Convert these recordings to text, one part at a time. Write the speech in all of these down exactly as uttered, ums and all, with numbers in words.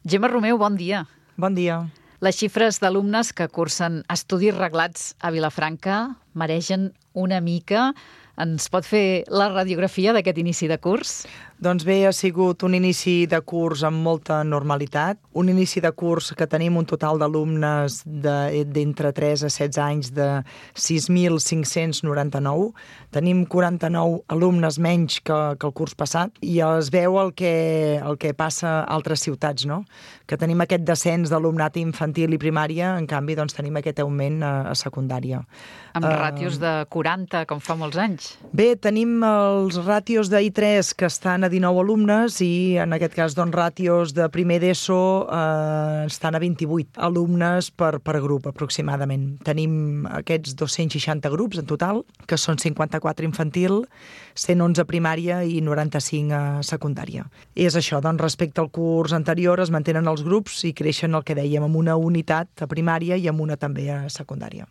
Gemma Romeu, bon dia. Bon dia. Les xifres d'alumnes que cursen estudis reglats a Vilafranca maregen una mica. Ens pot fer la radiografia d'aquest inici de curs? Doncs bé, ha sigut un inici de curs amb molta normalitat. Un inici de curs que tenim un total d'alumnes d'entre tres a setze anys de sis mil cinc-cents noranta-nou. Tenim quaranta-nou alumnes menys que, que el curs passat i es veu el que, el que passa a altres ciutats, no? Que tenim aquest descens d'alumnat infantil i primària, en canvi doncs, tenim aquest augment a, a secundària. Amb uh, ràtios de quaranta, com fa molts anys. Bé, tenim els ràtios d'I tres que estan a dinou alumnes i en aquest cas doncs, ràtios de primer d'ESO eh, estan a vint-i-vuit alumnes per, per grup aproximadament. Tenim aquests dos-cents seixanta grups en total, que són cinquanta-quatre infantil, cent onze primària i noranta-cinc a secundària. És això, doncs respecte al curs anterior es mantenen els grups i creixen el que dèiem amb una unitat a primària i amb una també a secundària.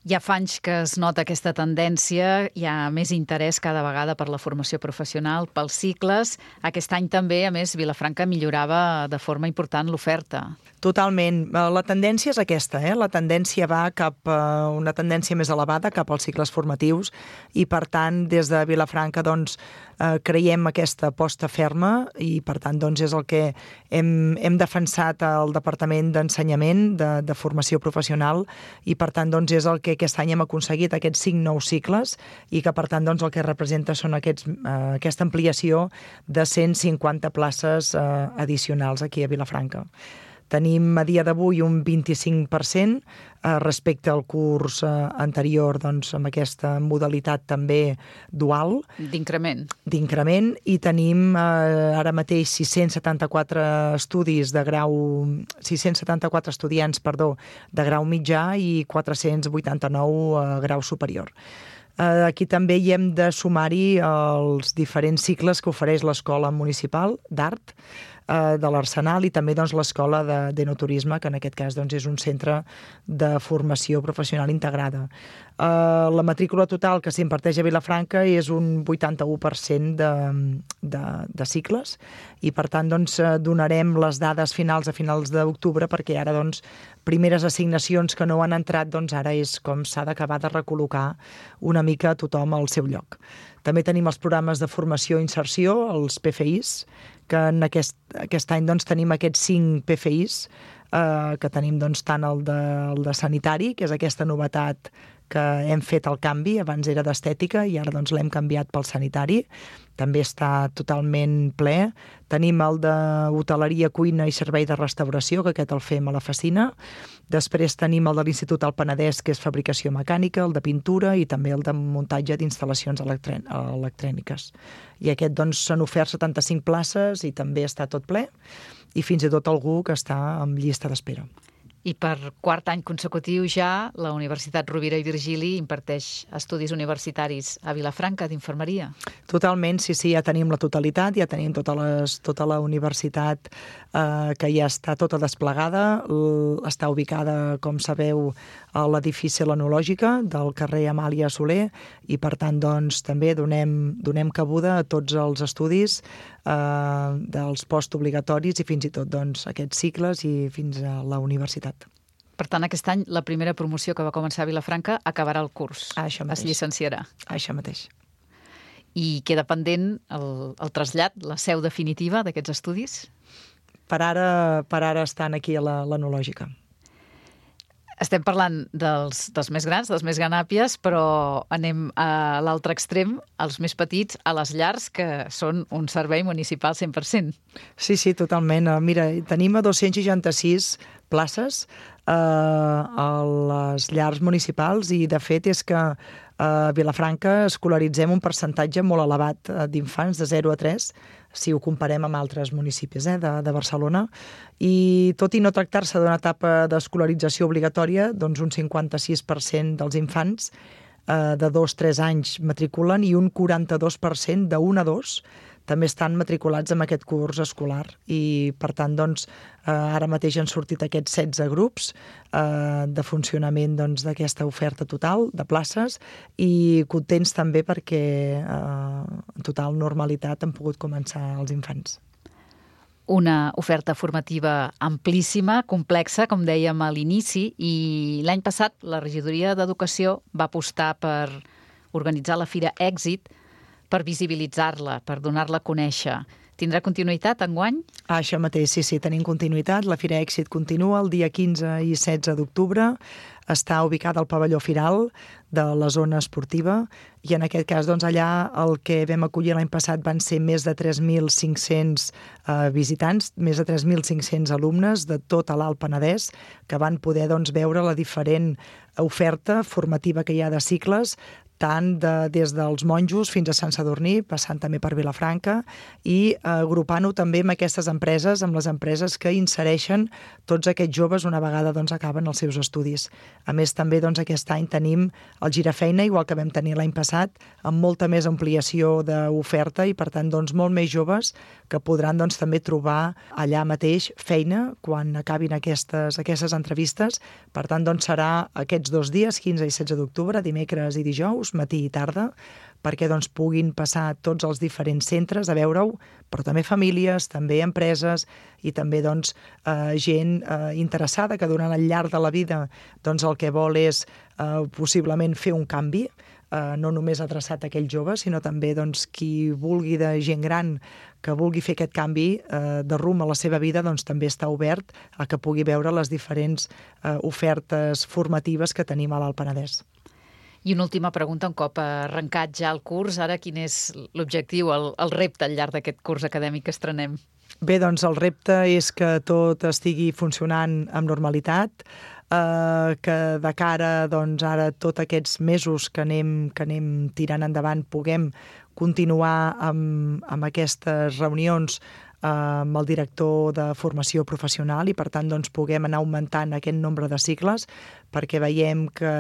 Ja fa anys que es nota aquesta tendència, hi ha més interès cada vegada per la formació professional, pels cicles. Aquest any també, a més, Vilafranca millorava de forma important l'oferta. Totalment. La tendència és aquesta, eh? La tendència va cap a una tendència més elevada, cap als cicles formatius, i per tant, des de Vilafranca, doncs, eh, creiem aquesta aposta ferma i per tant, doncs, és el que hem, hem defensat al Departament d'Ensenyament, de, de Formació Professional, i per tant, doncs, és el que aquest any hem aconseguit, aquests cinc nous cicles, i que per tant, doncs, el que representa són aquests, eh, aquesta ampliació de cent cinquanta places eh, addicionals aquí a Vilafranca. Tenim a dia d'avui un vint-i-cinc per cent eh, respecte al curs eh, anterior, doncs, amb aquesta modalitat també dual. D'increment. D'increment, i tenim eh, ara mateix sis-cents setanta-quatre estudis de grau... sis-cents setanta-quatre estudiants, perdó, de grau mitjà i quatre-cents vuitanta-nou a grau superior. Uh, aquí també hi hem de sumar-hi els diferents cicles que ofereix l'Escola Municipal d'Art uh, de l'Arsenal i també doncs, l'Escola de, d'Enoturisme, que en aquest cas doncs, és un centre de formació professional integrada. Uh, la matrícula total que s'imparteix a Vilafranca és un vuitanta-u per cent de, de, de cicles i per tant doncs, donarem les dades finals a finals d'octubre perquè ara doncs, primeres assignacions que no han entrat, doncs ara és com s'ha d'acabar de recol·locar una mica a tothom al seu lloc. També tenim els programes de formació i inserció, els P F Is, que en aquest, aquest any doncs, tenim aquests cinc P F Is, eh, que tenim doncs, tant el de, el de sanitari, que és aquesta novetat que hem fet el canvi, abans era d'estètica i ara doncs, l'hem canviat pel sanitari, també està totalment ple. Tenim el d'hoteleria, cuina i servei de restauració, que aquest el fem a la Facina. Després tenim el de l'Institut del Penedès, que és fabricació mecànica, el de pintura i també el de muntatge d'instal·lacions electròniques. I aquest doncs s'han ofert setanta-cinc places i també està tot ple i fins i tot algú que està en llista d'espera. I per quart any consecutiu ja la Universitat Rovira i Virgili imparteix estudis universitaris a Vilafranca d'infermeria. Totalment, sí, sí, ja tenim la totalitat, ja tenim tota, les, tota la universitat eh, que ja està tota desplegada, L- està ubicada, com sabeu, a l'edifici Lenològica del carrer Amàlia Soler i per tant doncs, també donem, donem cabuda a tots els estudis eh, dels postobligatoris i fins i tot doncs, aquests cicles i fins a la universitat. Per tant, aquest any la primera promoció que va començar a Vilafranca acabarà el curs. Ah, això mateix. Es llicenciarà. Ah, això mateix. I queda pendent el, el trasllat, la seu definitiva d'aquests estudis? Per ara, per ara estan aquí a la l'enològica. Estem parlant dels, dels més grans, dels més ganàpies, però anem a l'altre extrem, als més petits, a les llars, que són un servei municipal cent per cent. Sí, sí, totalment. Mira, tenim a dos-cents seixanta-sis places eh, a les llars municipals i, de fet, és que a Vilafranca escolaritzem un percentatge molt elevat d'infants de zero a tres, si ho comparem amb altres municipis eh, de, de Barcelona, i tot i no tractar-se d'una etapa d'escolarització obligatòria, doncs un cinquanta-sis per cent dels infants eh, de dos a tres anys matriculen i un quaranta-dos per cent de un a dos també estan matriculats en aquest curs escolar i, per tant, doncs, eh, ara mateix han sortit aquests setze grups eh, de funcionament doncs, d'aquesta oferta total de places i contents també perquè eh, en total normalitat han pogut començar els infants. una oferta formativa amplíssima, complexa, com dèiem a l'inici, i l'any passat la regidoria d'Educació va apostar per organitzar la Fira Èxit, per visibilitzar-la, per donar-la a conèixer. Tindrà continuïtat enguany? Ah, això mateix, sí, sí, tenim continuïtat. La Fira Èxit continua el dia quinze i setze d'octubre. Està ubicada al pavelló Firal de la zona esportiva i en aquest cas doncs, allà el que vam acollir l'any passat van ser més de tres mil cinc-cents eh, visitants, més de tres mil cinc-cents alumnes de tot l'Alt Penedès que van poder doncs, veure la diferent oferta formativa que hi ha de cicles, tant de, des dels monjos fins a Sant Sadurní, passant també per Vilafranca, i eh, agrupant-ho també amb aquestes empreses, amb les empreses que insereixen tots aquests joves una vegada doncs, acaben els seus estudis. A més, també doncs, aquest any tenim el Girafeina, igual que vam tenir l'any passat, amb molta més ampliació d'oferta i, per tant, doncs, molt més joves que podran doncs, també trobar allà mateix feina quan acabin aquestes, aquestes entrevistes. Per tant, doncs, serà aquests dos dies, quinze i setze d'octubre, dimecres i dijous, matí i tarda, perquè doncs, puguin passar tots els diferents centres a veure-ho, però també famílies, també empreses i també doncs, eh, gent eh, interessada que durant el llarg de la vida doncs, el que vol és eh, possiblement fer un canvi, eh, no només adreçat a aquells joves, sinó també doncs, qui vulgui de gent gran que vulgui fer aquest canvi eh, de rumb a la seva vida, doncs també està obert a que pugui veure les diferents eh, ofertes formatives que tenim a l'Alt Penedès. I una última pregunta, un cop arrencat ja el curs, ara quin és l'objectiu, el, el repte al llarg d'aquest curs acadèmic que estrenem? Bé, doncs el repte és que tot estigui funcionant amb normalitat, eh, que de cara doncs, ara tots aquests mesos que anem, que anem tirant endavant puguem continuar amb, amb aquestes reunions amb el director de formació professional i, per tant, doncs, puguem anar augmentant aquest nombre de cicles perquè veiem que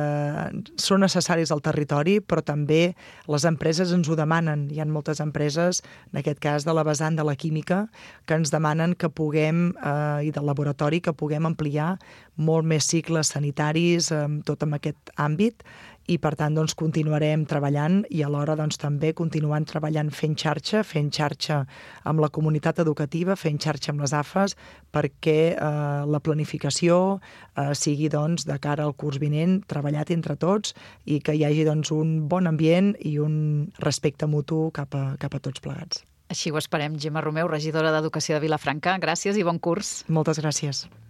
són necessaris al territori, però també les empreses ens ho demanen. Hi ha moltes empreses, en aquest cas de la vessant de la química, que ens demanen que puguem, eh, i del laboratori, que puguem ampliar molt més cicles sanitaris, eh, tot en aquest àmbit, i per tant doncs, continuarem treballant i alhora doncs, també continuant treballant fent xarxa, fent xarxa amb la comunitat educativa, fent xarxa amb les A F Es, perquè eh, la planificació eh, sigui doncs, de cara al curs vinent treballat entre tots i que hi hagi doncs, un bon ambient i un respecte mutu cap a, cap a tots plegats. Així ho esperem. Gemma Romeu, regidora d'Educació de Vilafranca, gràcies i bon curs. Moltes gràcies.